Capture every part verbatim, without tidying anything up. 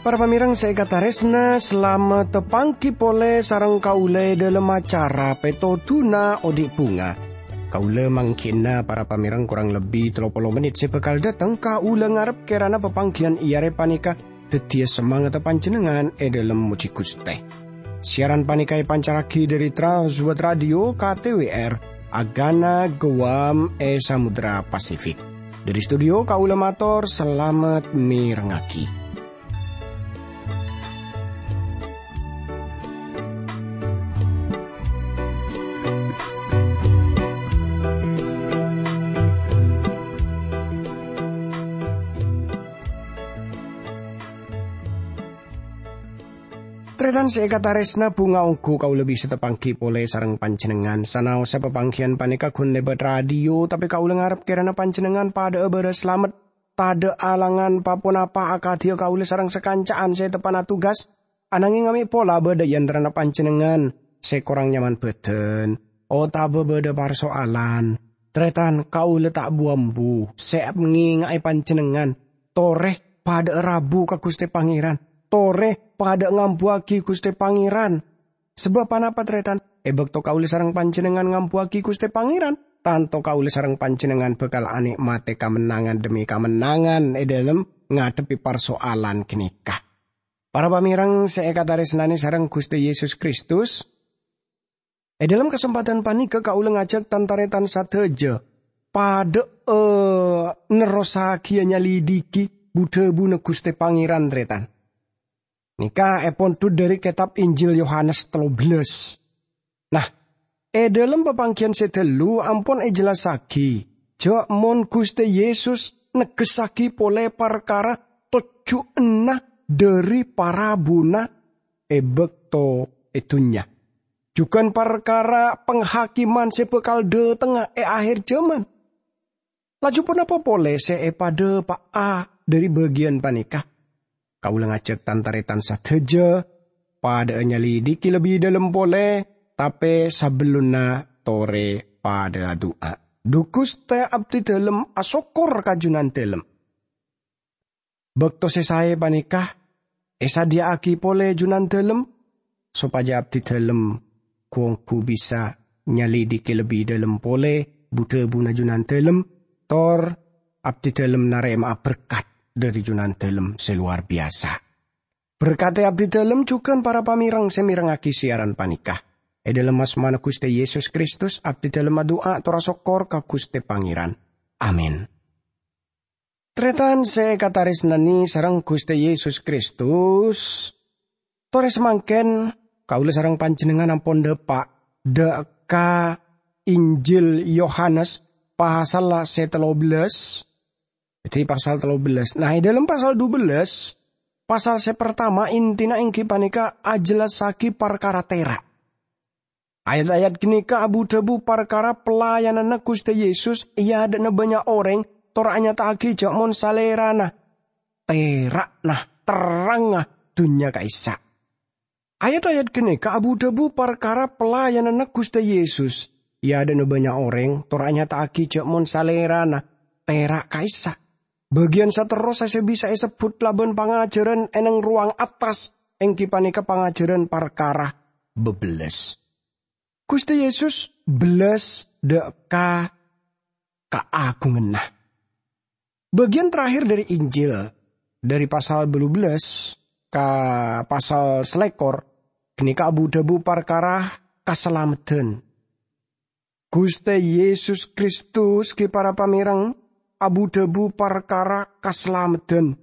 Para pamèrèng sè èkatarèsna, salamet pangghi polè sareng kaulâ è dhâlem acara Pètodhuna Odi' Bhunga. Kaulâ mangghina para pamèrèng korang lebbi tello polo mennit sè bhâkal dâteng. Kaulâ ngarep kèrana papangghiyân è arè panèka dhâddhiyâ samangatta panjhennengngan è dhâlem mojhi Ghustè. Siaran panèka èpancarraghi dhâri Trans World Radio K T W R, Agana Guam è Samudra Pasifik. Dhâri studio kaulâ mator salamet mèrengngaghi. Tarètan sè èkatarèsna, bhunga ongghu kaulâ bisa tapangghi polè sareng panjhennengngan. Sanaossa papangghiyân panèka ghun lèbât radio, tapè kaulâ ngarep kèrana panjhennengngan padhâ'â bârâs salamet, tadhâ' alangan pa-ponapa akadhiyâ kaulâ sareng sakanca'an sè teppa'na tugas. Ananghing amè' pola bâdâ è antarana panjhennengngan sè korang nyaman bhâdhân, otabâ bâdâ parsoalan, tarètan, kaulâ ta' bu-ambu sè ngènga'è panjhennengngan. Torè padhâ'â rabu ka Ghustè Pangèran. Torè padhâ'â ngambuwâghi Ghustè Pangèran. Sabâb ponapa, tarètan? È bâkto kaulâ sareng panjhennengngan ngambuwâghi Ghustè Pangèran, tanto kaulâ sareng panjhennengngan bhâkal anè'matè kamennangan dhemmi kamennangan è dhâlem ngadhebbhi parsoalan ghânèka. Para pamèrèng sè èkatarèsnanè sareng Ghustè Yesus Kristus, è dhâlem kasempadhân panèka kaulâ ngajhâk tan-tarètan sadhâjâ padhâ'â nerrossaghiyâ nyalidhighi bu-dhâbuna Ghustè Pangèran, tarètan. Nèka èpondhut dhâri kètab Injil Yohanes tello bellâs. Nah, è dhâlem papangghiyân sè ghâllu ampon èjellassaghi jhâ' mon Ghustè Yesus negghessaghi polè parkara tojjhuwânna dhâri parabuna è bâkto è dhunnya, jhughân parkara panghâkiman sè bhâkal dhâtengnga è akhèr jhâman. Laju ponapa polè sè èpadhâpa'a dhâri bâgiyân panèka? Kaulâ ngajhâk tan-tarètan sadhâjâ padhâ'â nyalidhighi lebbi dhâlem polè, tapè sabellunna torè padhâ adu'a. Dhu Ghustè, abdhidhâlem asokkor ka Junandhâlem. Bâkto sè saè panèka èsadhiyâ'aghi polè Junandhâlem, sopajâ abdhidhâlem ghu-ongghu bisa nyalidhighi lebbi dhâlem polè bu-dhâbuna Junandhâlem, tor abdhidhâlem narèma'a berkat dhâri Junandhâlem sè lowar biyasa. Berkadhi abdhidhâlem jhughân para pamèrèng sè mèrengngaghi siaran panèka. È dhâlem asmana Ghustè Yesus Kristus, abdhidhâlem adu'a tor asokkor ka Ghustè Pangèran. Amin. Tarètan sè èkatarèsnanè sareng Ghustè Yesus Kristus, torè samangkèn kaulâ sareng panjhennengngan ampon dhâpa' dhâ' ka Injil Yohanes pasal sè tello bellâs, dhâddhi pasal tello bellâs. Nah, è dhâlem pasal dubellâs, pasal sè partama intina èngghi panèka ajellassaghi parkara tèra'. Ayat-ayat ghânèka abu-dhâbu parkara pelayananna Ghustè Yesus è adâ'na bânnya' orèng, tor anyata'aghi jhâ' mon Salèrana tèra'na, terrangnga dhunnya ka'issa'. Ayat-ayat ghânèka abu-dhâbu parkara pelayananna Ghustè Yesus è adâ'na bânnya' orèng, tor anyata'aghi jhâ' mon Salèrana tèra' ka'issa'. Bâgiyân saterrossa sè bisa èsebbhut labân pangajhârân è neng rowang attas, èngghi panèka pangajhârân parkara bebellâs. Ghustè Yesus bellâs dhâ' ka kaagunganna. Bâgiyân terakhir dhâri Injil, dhâri pasal bâllu bellâs ka pasal salèkor, ghânèka abu-dhâbu parkara kasalameddhân. Ghustè Yesus Kristus, ghi para pamèrèng, abu-dhâbu parkara kasalameddhân.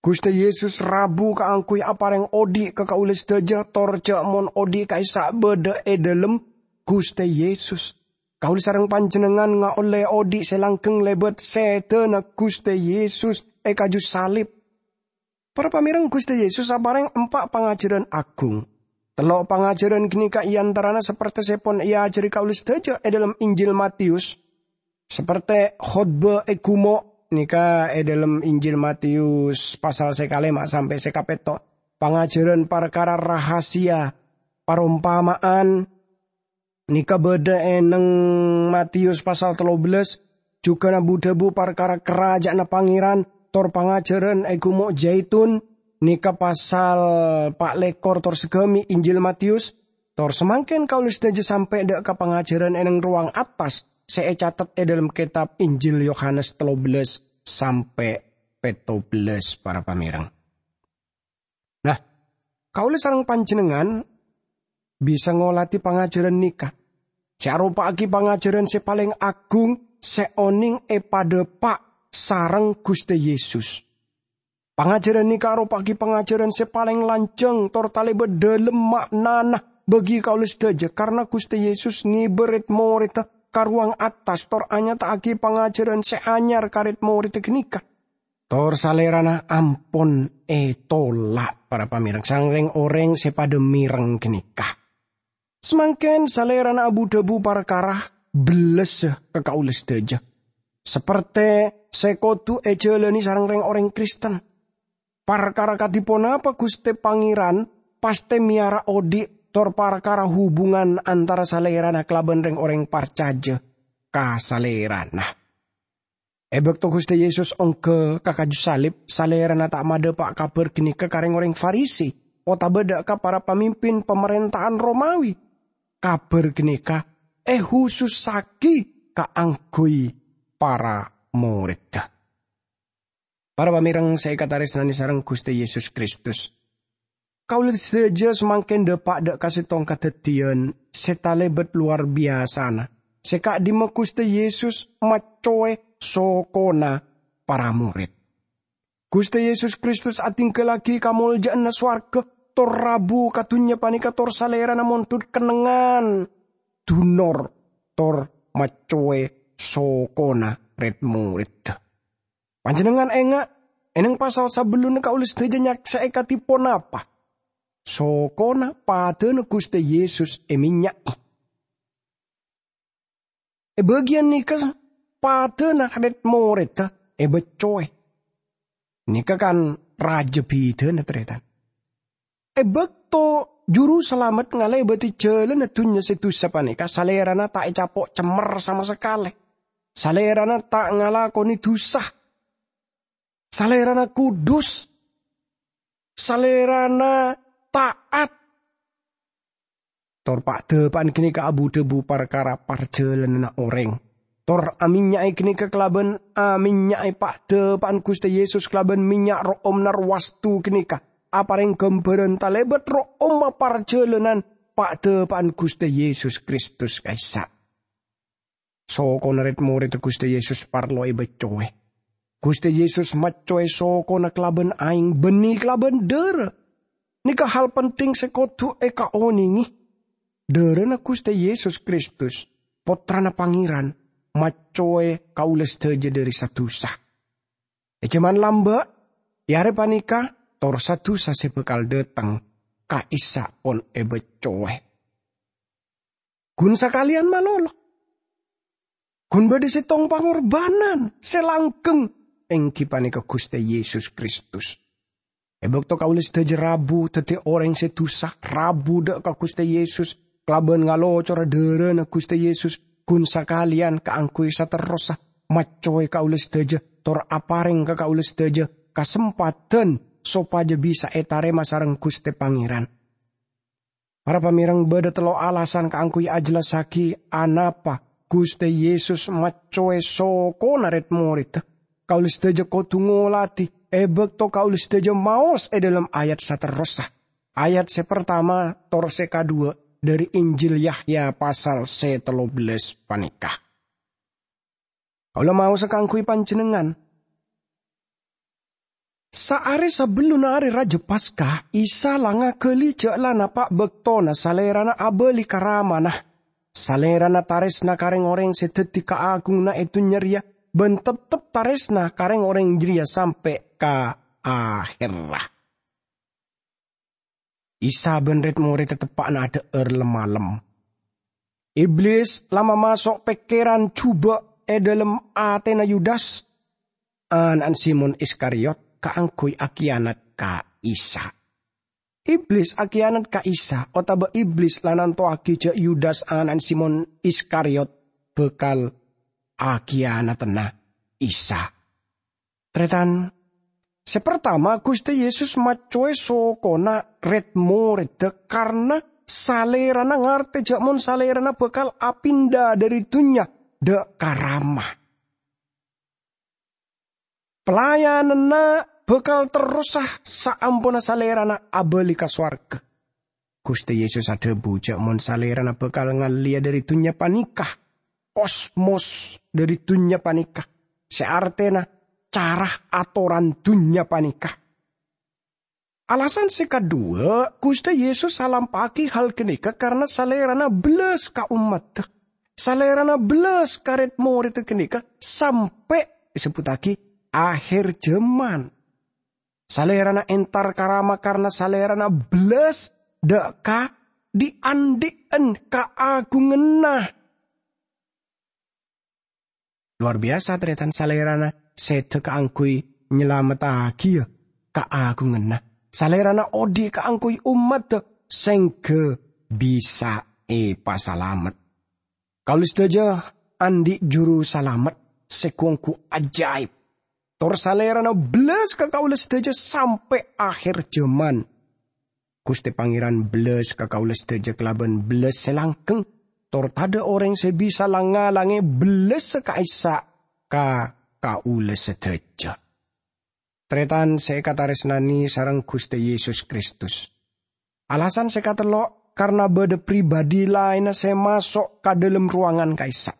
Ghustè Yesus rabu kaangghuy aparèng odhi' ka kaulâ sadhâjâ, tor jhâ' mon odhi' ka'issa' bâdâ è dhâlem Ghustè Yesus. Kaulâ sareng panjhennengngan ngaollè odhi' sè langgheng lèbât sèdhâna Ghustè Yesus è kaju salib. Para pamèrèng, Ghustè Yesus aparèng empa' pangajhârân aghung. Tello' pangajhârân ghânèka è antarana sapertèsèpon èajhâri kaulâ sadhâjâ è dhâlem Injil Mateyus. Sapertè khotbah è ghumo' nèka è dhâlem Injil Mateyus pasal sè kalèma' sampè' sè kapètto'. pangajhârân parkara rahasia, parompama'an, nèka bâdâ è neng Matius pasal tello bellas, jhughân bu-dhâbu parkara Karaja'anna Pangèran, tor pangajhârân è Gumo' Jaitun, nèka pasal pa' lèkor tor saghâmè' Injil Matius, tor samangkèn kaulâ sadhâjâ sampè' dâ' ka pangajhârân è neng rowang attas sè ècatet è dhâlem kètab Injil Yohanes tello bellas sampè' pètto bellas, para pamèreng. Nah, kaulâ sareng panjhennengngan bisa ngolatè pangajhârân nèka, sè aropa'aghi pangajhârân sè palèng agung sè onèng èpadhâpa' sareng Ghustè Yesus. Pangajhârân nèka aropa'aghi pangajhârân sè palèng lanjhâng tor talèbât dhâlem ma'nana bagi kaulâ sadhâjâ, karna Ghustè Yesus ngibâ rèd-morèdda ka rowang attas tor anyata'aghi pangajhârân sè anyar ka rèd-morèdda ghânèka. Tor Salèrana ampon ètola', para pamèreng, sareng rèng-orèng sè padâ mèreng ghânèka. Samangkèn Salèrana abu-dhâbu parkara bellassa ka kaulâ sadhâjâ, saperte sè kodhu èjhâlânè sareng rèng-orèng Kristen. Parkara kadhi ponapa Ghustè Pangèran pastè mèyara odi' tor parkara hubungan antara Salèrana kalabân rèng-orèng parcajâ ka Salèrana. È bâkto Ghustè Yesus ongghâ ka kaju salib, Salèrana ta' madhâpa' kabhâr ghânèka ka rèng-orèng Farisi otabâ dâ' ka para pamimpin pamarènta'an Romawi. Kabhâr ghânèka èhusussaghi kaangghuy para morèdda. Para pamèreng sè èkatarèsnanè sareng Ghustè Yesus Kristus, kaulâ sadhâjâ samangkèn dâpa' dâ' ka sèttong kadhâddhiyân sè talèbât lowar biyasana, sè ka'dimma Ghustè Yesus maccowè sokona para morèd. Ghustè Yesus Kristus adhinggallaghi kamoljâ'ânna sowarghâ, tor rabu ka dhunnya panèka, tor Salèrana mondhut kennengngan, dunor, tor maccowè sokona rèd-morèdda. Panjhennengngan enga', è neng pasal sabellunna kaulâ sadhâjâ nyaksè'è kadhi ponapa sokona padâna Ghustè Yesus èmènnya'è. È bâgiyân nèka padâna rèd-morèdda èbâccowè. Nèka kan rajâ bidhâna, tarètan. È bâkto Juru Salamet ngalèbâdhi jhâlânna dhunnya sè dhusa panèka, Salèrana ta' ècapo' cemmer sama sakalè. Salèrana ta' ngalakonè dhusa. Salèrana kudus. Salèrana ta'at. Tor pa'-dhâpa'an ghânèka abu-dhâbu parkara parjhâlânanna orèng. Tor amènnya'è ghânèka kalabân amènnya'è pa'-dhâpa'an Ghustè Yesus kalabân mènnya' ro'omna rowastu ghânèka aparèng ghâmbhârân talèbât ro'omma parjhâlânan pa'-dhâpa'an Ghustè Yesus Kristus ka'issa'. Sokona rèd-morèdda Ghustè Yesus parlo èbâccowè. Ghustè Yesus maccowè sokona kalabân aèng bânnè kalabân dârâ. Nèka hal penting sè kodhu èkaonèngè. Dârâna Ghustè Yesus Kristus, Pottrana Pangèran, maccowè kaulâ sadhâjâ dâri sa-dhusa. È jhâman lambâ', è arè panèka, tor sa-dhusa sè bhâkal dâteng ka'issa' pon èbâccowè. Ghun sakalèyan malolo. Ghun bâdâ sèttong pangorbhânan sè langghâng, èngghi panèka Ghustè Yesus Kristus. È bâkto kaulâ sadhâjâ rabu dhâddhi orèng sè dhusa, rabu dâ' ka Ghustè Yesus, kalabân ngalocora dârâna Ghustè Yesus, ghun sakalèyan kaangghuy saterrossa maccowè kaulâ sadhâjâ, tor aparèng ka kaulâ sadhâjâ kasempadhân sopajâ bisa ètarèma sareng Ghustè Pangèran. Para pamèreng, bâdâ tello' alasan kaangghuy ajhellassaghi anapa Ghustè Yesus maccowè sokona rèd-morèdda. Kaulâ sadhâjâ kodhu ngolatè è bâkto kaulâ sadhâjâ maos è dhâlem ayat saterrossa. Ayat sè partama tor sè kadhuwâ' dâri Injil Yahya pasal sè tello bellâs panèka. Kaulâ maosa kaangghuy panjhennengngan. Saarè sabellunna Arè Rajâ Paska, Isa la ngaghâli jhâ' la napa' bâktona Salèrana abâli ka Ramana. Salèrana tarèsna ka rèng-orèng sè dhâddhi kaagunganna è dhunnya rèya bân teptep tarèsna ka rèng-orèng jârèya sampè' ka ahèrra. Isa bân rèd-morèdda teppa'na adhâ'âr lem-malem. Iblis la mamaso' pèkkèran jhubâ' è dhâlem atèna Yudas, ana'na Simon Iskariot, kaangghuy akiyanat ka Isa. Iblis akiyanat ka Isa, otaba Iblis la nantowagi ja' Yudas ana'na Simon Iskariot bakal akiyanatana Isa. Taretan, se partama, Guste Yesus maccowe sokona red-moredda karna Salerana ngarte ja' mon Salerana bakal apinda dhari dunnya dha' ka Rama. Pelayananna bakal terrosa saamponna Salerana abali ka sowarga. Guste Yesus adhabu ja' mon Salerana bakal ngalleya dhari dunnya paneka, kosmos dhari dunnya paneka, se artena cara atoran dunnya paneka. Alasan se kadhuwa, Guste Yesus alampa'agi hal ganeka karna Salerana bellas ka ommadda. Salerana bellas ka red-moredda ganeka sampe' esebbhuttagi aher jaman. Salerana entar ka Rama karna Salerana bellas dha' ka dhi'-andhi'en kaagunganna. Lowar biyasa, taretan, Salerana seda kaangguy nyalamettagiya kaagunganna. Salerana odhi' kaangguy ommadda sengga bisa epasalamet. Kaula sadaja andhi' juru salamet se gu-onggu ajaib. Tor Salerana bellas ka kaula sadaja sampe' aher jaman. Guste Pangeran bellas ka kaula sadaja kalaban bellas se langgeng, tor tadha' oreng se bisa lang-ngalange bellassa ka'issa' ka kaula sadaja. Taretan se ekataresnane sareng Guste Yesus Kristus. Alasan se katello', karna badha pribadi laenna se maso' ka dhalem rowangan ka'issa'.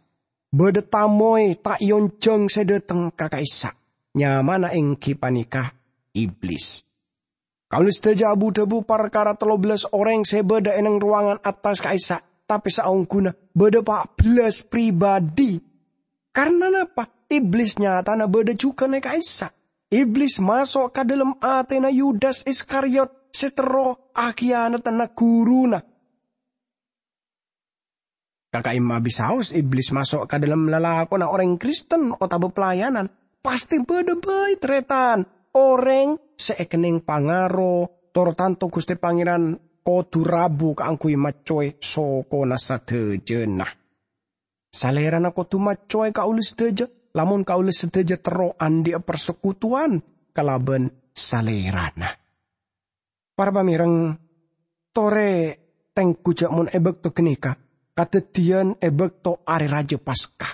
Badha tamoy ta' eonjhang se dhateng ka ka'issa'. Nyamana enggi paneka Iblis. Kaula sadaja abu-dhabu parkara tello bellas oreng se badha e neng rowangan attas ka'issa', tape saongguna badha pa' bellas pribadi. Karna napa? Iblis nyatana badha jugan e ka'issa'. Iblis maso' ka dhalem atena Yudas Iskariot se terro akiyanatana guruna. Ka ka'imma bisaos Iblis maso' ka dhalem lalakonna oreng Kristen otaba pelayanan, pasti badha bai, taretan, oreng se ekenneng pangaro, tor tanto Guste Pangeran kodu rabu kaangguy maccowe sokona sadajana. Salerana kodu maccowe kaula sadaja, lamon kaula sadaja terro andhi'a parsekutuwan kalaban Salerana. Para pamereng, tore tenggu ja' mon e bakto ganeka kadaddiyan e bakto Are Raja Paska.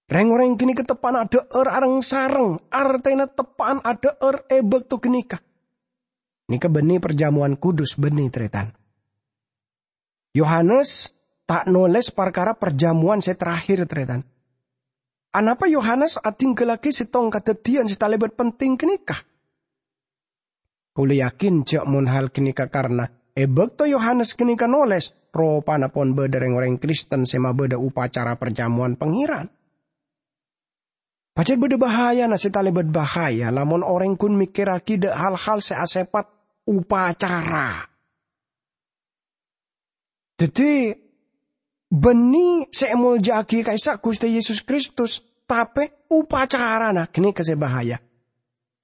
Reng-oreng ganeka teppa'na adha'ar areng-sareng, artena teppa'an adha'ar e bakto ganeka. Neka banne parjamowan kudus, banne, taretan. Yohanes ta' noles parkara parjamowan se terakhir, taretan. Anapa Yohanes adinggallagi settong kadaddiyan se talebat penting ganeka? Kaula yakin ja' mon hal ganeka karna e bakto Yohanes ganeka noles, ropana pon badha reng-oreng Kristen se mabadha upacara parjamowan Pangeran. Pajat badha bahayana se talebat bahaya lamon oreng gun mikirragi dha' hal-hal se asepat upacara. Daddi, banne se emolja'agi ka'issa' Guste Yesus Kristus, tape upacarana ganeka se bahaya.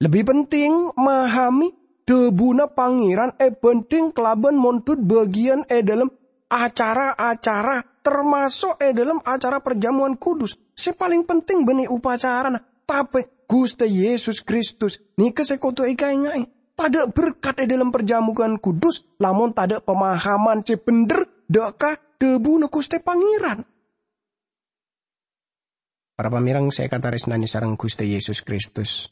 Lebbi penting mahami dhabuna Pangeran ebanding kalaban mondhut bagiyan e dhalem acara-acara, termaso' e dhalem acara parjamowan kudus. Se paleng penting banne upacarana, tape Guste Yesus Kristus neka se kodu ekaenga'e. Tadha' berkat e dhalem parjamowan kudus, lamon tadha' pamahaman se bendher dha' ka dhabuna Guste Pangeran. Para pamereng se ekataresnane sareng Guste Yesus Kristus.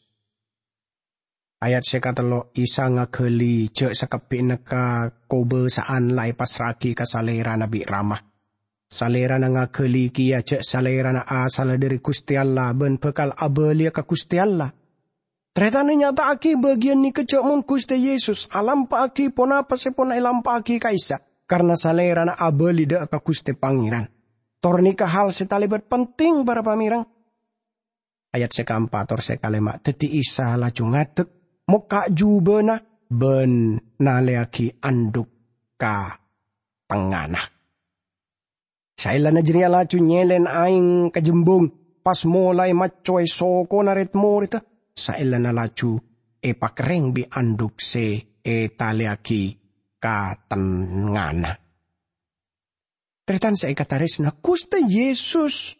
Ayat se katello, Isa ngagali ja' sakabbi'na kakobasa'an la epassra'agi ka Salerana bi' Rama. Salerana ngagali keya ja' Salerana asalla dhari Guste Allah ban bakal abaliya ka Guste Allah. Taretan, nyata'agi bagiyan neka ja' mon Guste Yesus alampa'agi ponapa se pon elampa'agi ka'issa', karna Salerana abali dha' ka Guste Pangeran. Tor neka hal se talebat penting, para pamereng. Ayat se kaempa' tor se kalema', daddi Isa laju ngadek, mokka' jubana, ban naleyagi andhuk ka tengngana. Saellana jareya laju nyelen aeng ka jembung, pas molae maccowe sokona red-moredda. Saellana laju epakerreng bi' andhuk se ètalèyaghi ka tengngana. Tarètan sè èkatarèsna, Ghustè Yesus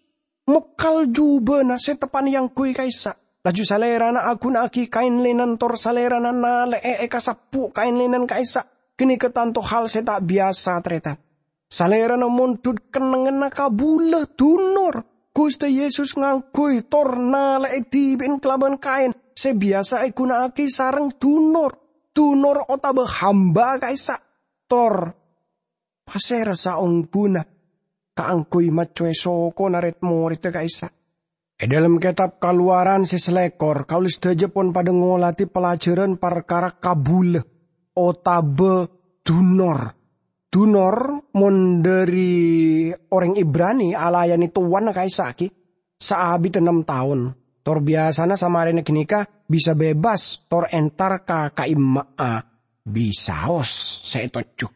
mokal jhubâna sè teppa'na èangghuy ka'issa'. Laju Salèrana aghuna'aghi kaèn lènen tor Salèrana nalè'è èkasebbhu' kaèn lènen ka'issa'. Ghânèka tanto hal sè ta' biyasa, tarètan. Salèrana mondhut kennengnganna kabulâ, dunor. Ghustè Yesus ngangghuy tor nalè'è dhibi'en kalabân kaèn sè biyasa èghuna'aghi sareng dunor. Dunor otabâ hamba ka'issa'. Tor pasèra saonggghuna kaangghuy maccowè sokona rèd-morèdda ka'issa'? È dhâlem Kètab Kalowaran sè salèkor, kaulâ sadhâjâ pon padâ ngolatè pelajaran parkara kabulâ otabâ dunor. Dunor, mon dhâri orèng Ibrani, alayanè towana ka'issa' ghi saabidda nem taon. Tor biyasana samarèna ghânèka bisa bebas tor entar ka ka'imma'a bisaos sè ètojjhu.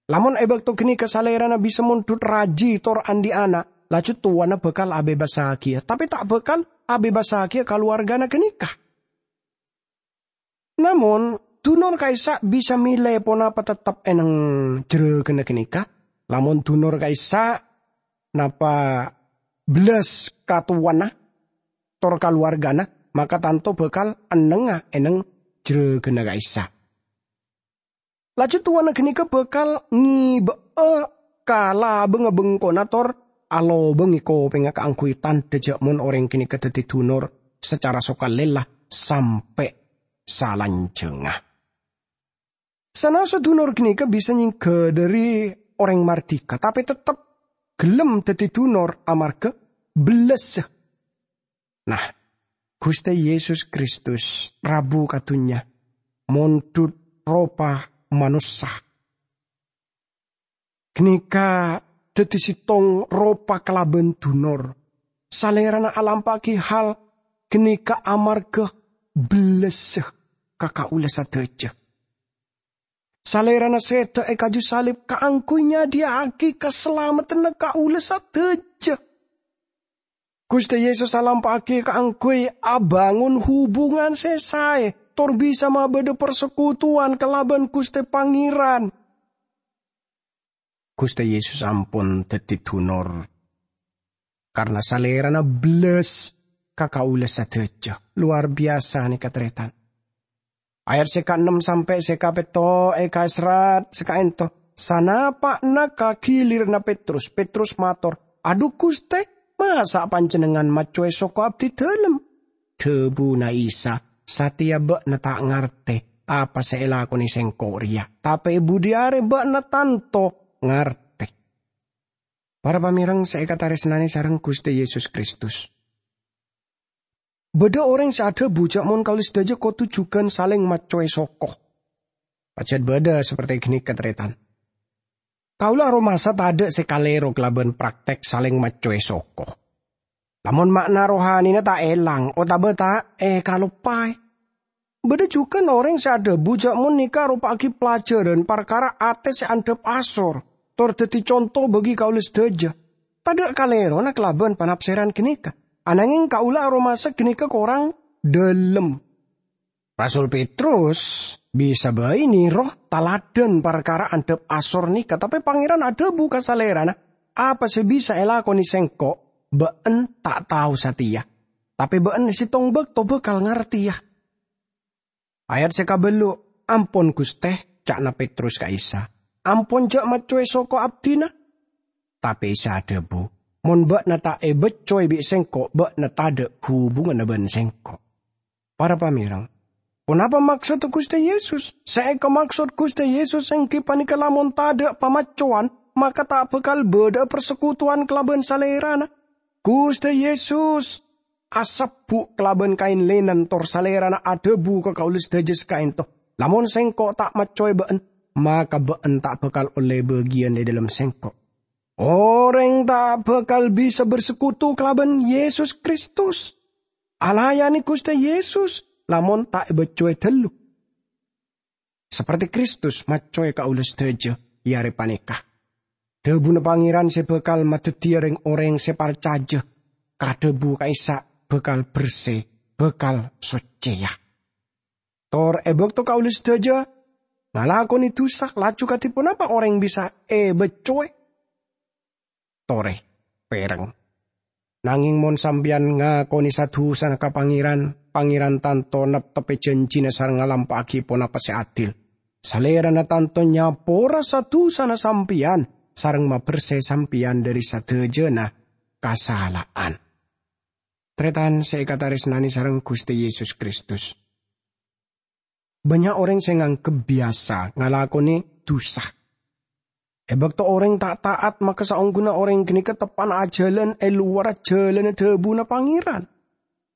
Lamon è bâkto ghânèka salèrana bisa mondhut rajhi tor andi' ana', laju towana bhâkal abebassaghiyâ, tapè ta' bhâkal abebassaghiyâ kalowarghâna ghânèka. Namong, dunor ka'issa' bisa mèlè ponapa tettep è neng jhârâghânna ghânèka. Lamon dunor ka'issa' napa bellas ka towana tor kalowarghâna, maka tanto bhâkal ennengnga è neng jhârâghânna ka'issa'. Laju towana ghânèka bhâkal ngibâ'â ka labângnga bengkona tor alobângè kopèngnga kaangghuy tandhâ jhâ' mon orèng ghânèka dhâddhi dunor sacara sokalèla sampè' salanjhângnga. Sanaossa dunor ghânèka bisa nyèngghâ dhâri orèng mardhika, tapè tettep ghellem dhâddhi dunor amarghâ bellassa. Nah, Ghustè Yesus Kristus rabu ka dhunnya, mondhut ropa manossa. Ghânèka dhâddhi sèttong ropa kalabân dunor. Salèrana alampa'aghi hal ghânèka amarghâ bellassa ka kaulâ sadhâjâ. Salèrana sèdhâ è kaju salib kaangghuy nyadhiyâ'aghi kasalameddhânna kaulâ sadhâjâ. Ghustè Yesus alampa'aghi kaangghuy abângon hubungan sè saè, tor bisa mabâdâ parsekutuwan kalabân Ghustè Pangèran. Ghustè Yesus ampon dhâddhi dunor, karna Salèrana bellas ka kaulâ sadhâjâ. Lowar biyasa nèka, tarètan. Ayat sè kaennem sampè' sè kapètto èkaserrat sè ka'ènto. Sanapa'na ka ghiliranna Petrus, Petrus mator, "Adhu, Ghustè, masa' Panjhennengngan maccowè soko abdidâlem?" Dhâbuna Isa, "Satèya bâ'na ta' ngartè apa sè èlakonè Sèngko' rèya, tapè è budi arè bâ'na tanto ngartè." Para pamèreng sè èkatarèsnanè sareng Ghustè Yesus Kristus. Bâdâ orèng sè adhâbu jhâ' mon kaulâ sadhâjâ kodhu jhughân salèng maccowè soko. Pajhât bâdâ saperti ghânèka, tarètan. Kaulâ aromasa tadâ' sè kalèro kalabân praktek salèng maccowè soko. Lamon ma'na rohanina ta' èlang otabâ ta' èkaloppaè. Bâdâ jhughân orèng sè adhâbu jhâ' mon nèka aropa'aghi pelajaran parkara atè sè andhâp asor, tor dhâddhi conto bagi kaulâ sadhâjâ. Tadâ' kalèrona kalabân panapsèran ghânèka, ananghèng kaulâ aromasa ghânèka korang dhâlem. Rasul Petrus bisa bhâi nèro taladhân parkara andhâp asor nèka, tapè Pangèran adhâbu ka salèrana, "Apa sè bisa èlakonè Sèngko', bâ'en ta' tao satèya, tapè bâ'en è sèttong bâkto bhâkal ngartèya." Ayat sè kabâllu', "Ampon, Ghustè," ca'na Petrus ka Isa, "ampon jhâ' maccowè soko abdhina." Tapè Isa adhâbu, "Mon bâ'na ta' èbâccowè bi' Sèngko', bâ'na tadâ' hubunganna bân Sèngko'." Para pamèreng, ponapa maksodda Ghustè Yesus? Sè èkamaksod Ghustè Yesus èngghi panèka lamon tadâ' pamaccowan, maka ta' bhâkal bâdâ'â parsekutuwan kalabân Salèrana. Ghustè Yesus asebbhu' kalabân kaèn lènen, tor Salèrana adhâbu ka kaulâ sadhâjâ sè ka'ènto, "Lamon Sèngko' ta' maccowè bâ'en, maka bâ'en ta' bhâkal ollè bâgiyân è dhâlem Sèngko'." Orèng ta' bhâkal bisa bersekutu kalabân Yesus Kristus, alayanè Ghustè Yesus, lamon ta' èbâccowè dhâllu. Saperti Kristus maccowè kaulâ sadhâjâ è arè panèka. Dhâbuna Pangèran sè bhâkal madhâddhiyâ rèng-orèng sè parcajâ ka dhâbu ka'issa' bhâkal bersè, bhâkal soccèya. Tor è bâkto kaulâ sadhâjâ Ngalakonè dhusa, laju kadhi ponapa orèng bisa èbeccoè? Torè, pèrèng. Nangèng mon sampèyan ngakonè sa-dhusana ka Pangèran, Pangèran tanto neptebbhi janjina sareng ngalampa'aghi ponapa sè adil. Salèrana tanto nyapora sa-dhusana sampèyan sareng mabersè sampèyan dhâri sadhâjâna kasala'an. Tarètan sè èkatarèsnanè sareng Ghustè Yesus Kristus. Bânnya' orèng sè nganggep biyasa ngalakonè dhusa. È bâkto orèng ta' ta'at, maka saongghuna orèng ghânèka teppa'na ajhâlân è lowarra jhâlânna dhâbuna Pangèran.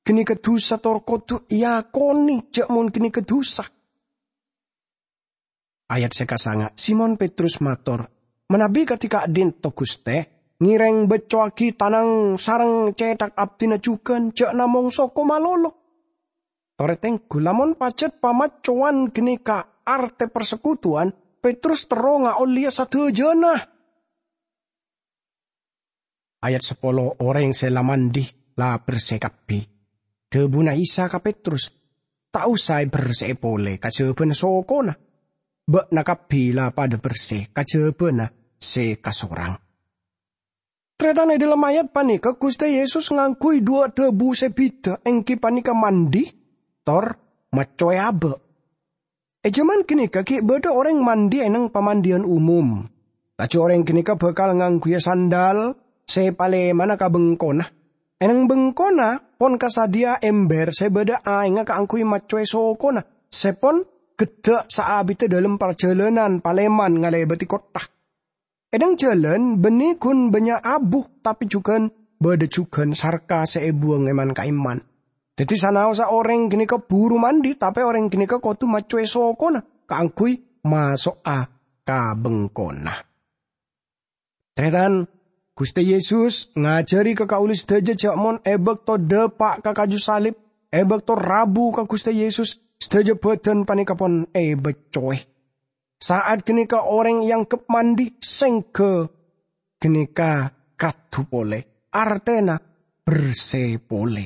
Ghânèka dhusa tor kodhu èakonè jhâ' mon ghânèka dhusa. Ayat sè kasanga', Simon Petrus mator, "Manabi kadhi ka'dinto, Ghustè, ngèrèng beccowaghi tanang sareng cèthak abdhina jhughân, jhâ' namong soko malolo." Torè tengghu, lamon pajhât pamaccowan ghânèka artè parsekutuwan, Petrus terro ngaollèya sadhâjâna. Ayat sapolo, orèng sè la mandi la bersè kabbhi. Dhâbuna Isa ka Petrus, "Ta' osa èbersè'è polè kajhâbhâna sokona. Bâ'na kabbhi la padâ bersè kajhâbhâna sè kasorang." Tarètan, è dhâlem ayat panèka Ghustè Yesus ngangghuy dhuwâ' dhâbu sè bhidhâ, èngghi panèka mandi tor maccoè abâ'. È jhâman ghânèka ghi' bâdâ orèng mandi è neng pamandiyân umum. Laju orèng ghânèka bhâkal ngangghuya sandal sè palèmana ka bengkona. È neng bengkona pon kasadhiyâ ember sè bâdâ aèngnga kaangghuy maccoè sokona sè pon ghedda' saabidda dhâlem parjhâlânan palèman ngalèbâdhi kottha. È neng jhâlân bânnè ghun bânnya' abu, tapè jhughân bâdâ jhughân sarka sè èbuwâng è man-ka'imman. Dhâddhi sanaossa orèng ghânèka buru mandi, tapè orèng ghânèka kodhu maccoè sokona kaangghuy maso'a ka bengkona. Tarètan, Ghustè Yesus ngajhâri ka kaulâ sadhâjâ jhâ' mon è bâkto dâpa' ka kaju salib, è bâkto rabu ka Ghustè Yesus, sadhâjâ bhâdhân panèka pon èbâccoè. Sa'at ghânèka orèng èangghep mandi, sèngghâ ghânèka raddhu polè, artèna bersè polè.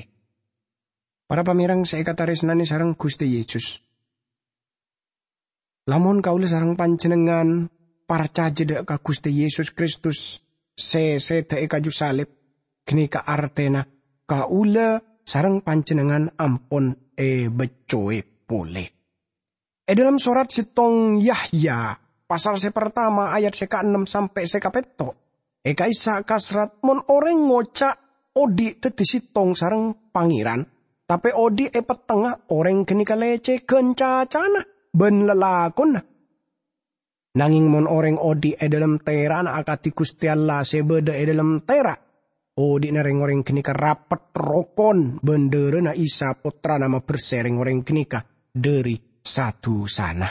Para pamèrèng sè èkatarèsnanè sareng Ghustè Yesus. Lamon kaulâ sareng panjhennengngan parcajâ dâ' ka Ghustè Yesus Kristus sè sèdhâ è kaju salib, ghânèka artèna kaulâ sareng panjhennengngan ampon èbâccoè polè. È dhâlem sorat sèttong Yahya, pasal sè partama, ayat sè kaennem sampè' sè kapètto', è ka'issa' kaserrat, "Mon orèng ngoca' odhi' dhâddhi sèttong sareng Pangèran, tapè odhi' è pettengnga, orèng ghânèka lècèghân cacana bân lalakonna. Nangèng mon orèng odhi' è dhâlem tèra'na akadhi Ghustè Allah sè bâdâ è dhâlem tèra', odhi'na rèng-orèng ghânèka rapet rokon bân dhârâna Isa, Pottrana, mabersè rèng-orèng ghânèka dhâri sa-dhusana."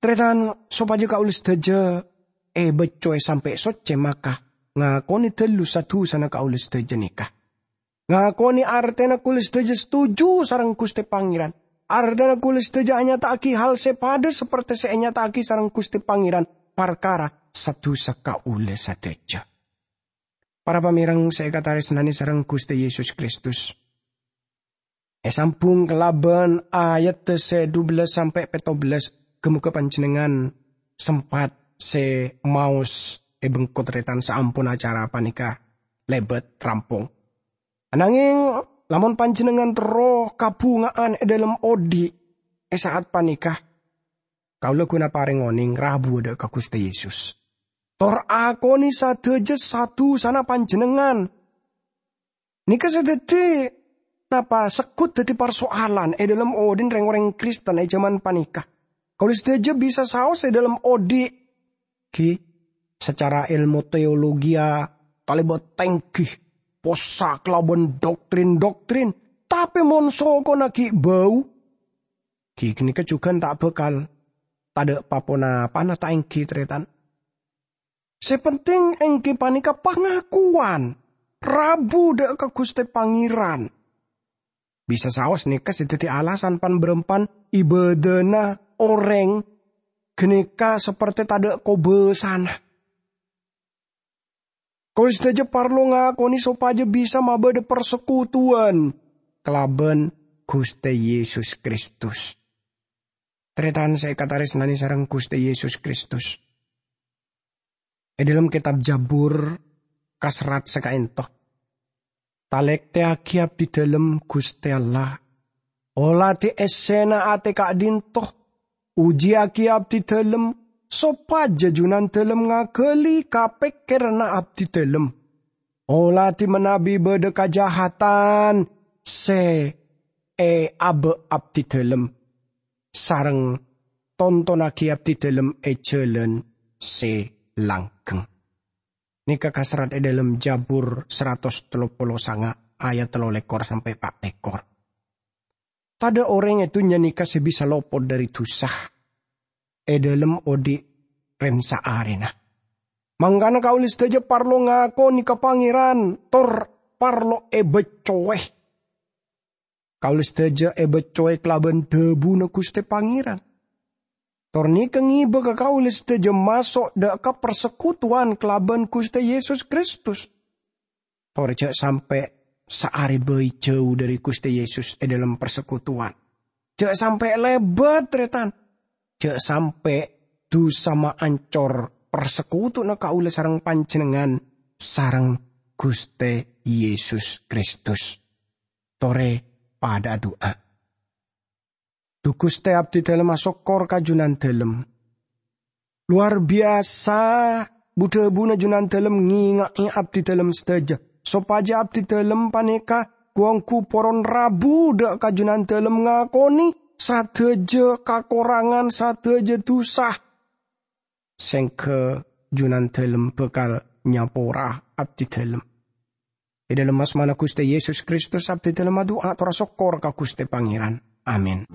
Tarètan, sopajâ kaulâ sadhâjâ èbâccoè sampè' soccè, maka ngakonè dâllu sa-dhusana kaulâ sadhâjâ nèka. Ngakonè artèna kaulâ sadhâjâ setuju sareng Ghustè Pangèran. Artèna kaulâ sadhâjâ anyata'aghi hal sè padâ sapertè sè ènyata'aghi sareng Ghustè Pangèran parkara sa-dhusa kaulâ sadhâjâ. Para pamèrèng sè èkatarèsnanè sareng Ghustè Yesus Kristus. Èsambhung kalabân ayat sè dubellâs sampè' pèttobellâs, ghâ-mogâ panjhennengngan sempat sè maos è bengko tarètan saampon acara panèka lèbât rampong. Anangèng, lamon panjhennengngan terro kabhunga'an è dhâlem odhi' è sa'at panèka, kaulâ ghun aparèng onèng rabu dâ' ka Ghustè Yesus. Tor akonè sadhâjâ sa-dhusana panjhennengngan. Nèka sè dhâddhi napa segghut dhâddhi parsoalan è dhâlem odhi'na rèng-orèng Kristen è jhâman panèka. Kaulâ sadhâjâ bisa saos è dhâlem odhi', ghi, sacara èlmo teologia talèbât tèngghi, possa kalabân doktrin-doktrin, tapè mon sokona ghi' bâu, ghi ghânèka jhughân ta' bhâkal tadâ' pa-ponapana ta' èngghi, tarètan. Sè penting èngghi panèka pangakowan rabu dâ' ka Ghustè Pangèran. Bisa saos nèka sè dhâddhi alasan pan-bârâmpan ibâdâna orèng ghânèka sapertè tadâ' kobâsana. Kaulâ sadhâjâ parlo ngakonè sopajâ bisa mabâdâ parsekutuwan kalabân Ghustè Yesus Kristus. Tarètan sè èkatarèsnanè sareng Ghustè Yesus Kristus. È dhâlem kètab Jabur, kaserrat sè kaènto, "Talèktèyaghi abdidhâlem, Ghustè Allah. Olatè essèna atè ka'dinto. Ojiyaghi abdidhâlem, sopajâ junandhâlem ngaghâli ka pèkkèranna abdidhâlem. Olatè manabi bâdâ kajahatan sè èabâ' abdidhâlem, sareng tontonnaghi abdidhâlem è jhâlân sè langgheng." Nèka kaserrat è dhâlem Jabur saratos tello polo sanga' ayat tello lèkor sampè' pa' lèkor. Tadâ' orèng è dhunnya nèka sè bisa lopot dhâri dhusa è dhâlem odi' rèn-saarèna. Mangkana kaulâ sadhâjâ parlo ngakonè ka Pangèran, tor parlo èbâccowè. Kaulâ sadhâjâ èbâccowè kalabân dhâbuna Ghustè Pangèran. Tor nèka ngibâ ka kaulâ sadhâjâ maso' dâ' ka parsekutuwan kalabân Ghustè Yesus Kristus. Tor jhâ' sampè' saarè bhâi jhâu dhâri Ghustè Yesus è dhâlem parsekutuwan. Jhâ' sampè' lèbât, tarètan. Jhâ' sampè' dhusa maancor parsekutuwanna kaulâ sareng panjhennengngan sareng Ghustè Yesus Kristus. Torè padhâ adu'a. Dhu Ghustè, abdidhâlem asokkor ka junandhâlem. Lowar biyasa bu-dhâbuna junandhâlem ngènga'è abdidhâlem sadhâjâ, sopajâ abdidhâlem panèka gu-onggu poron rabu dâ' ka junandhâlem ngakonè sadhâjâ kakorangan, sadhâjâ dhusa. Sèngghâ junandhâlem bhâkal nyapora abdidhâlem. È dhâlem asmana Ghustè Yesus Kristus, abdidhâlem adu'a tor asokkor ka Ghustè Pangèran. Amin.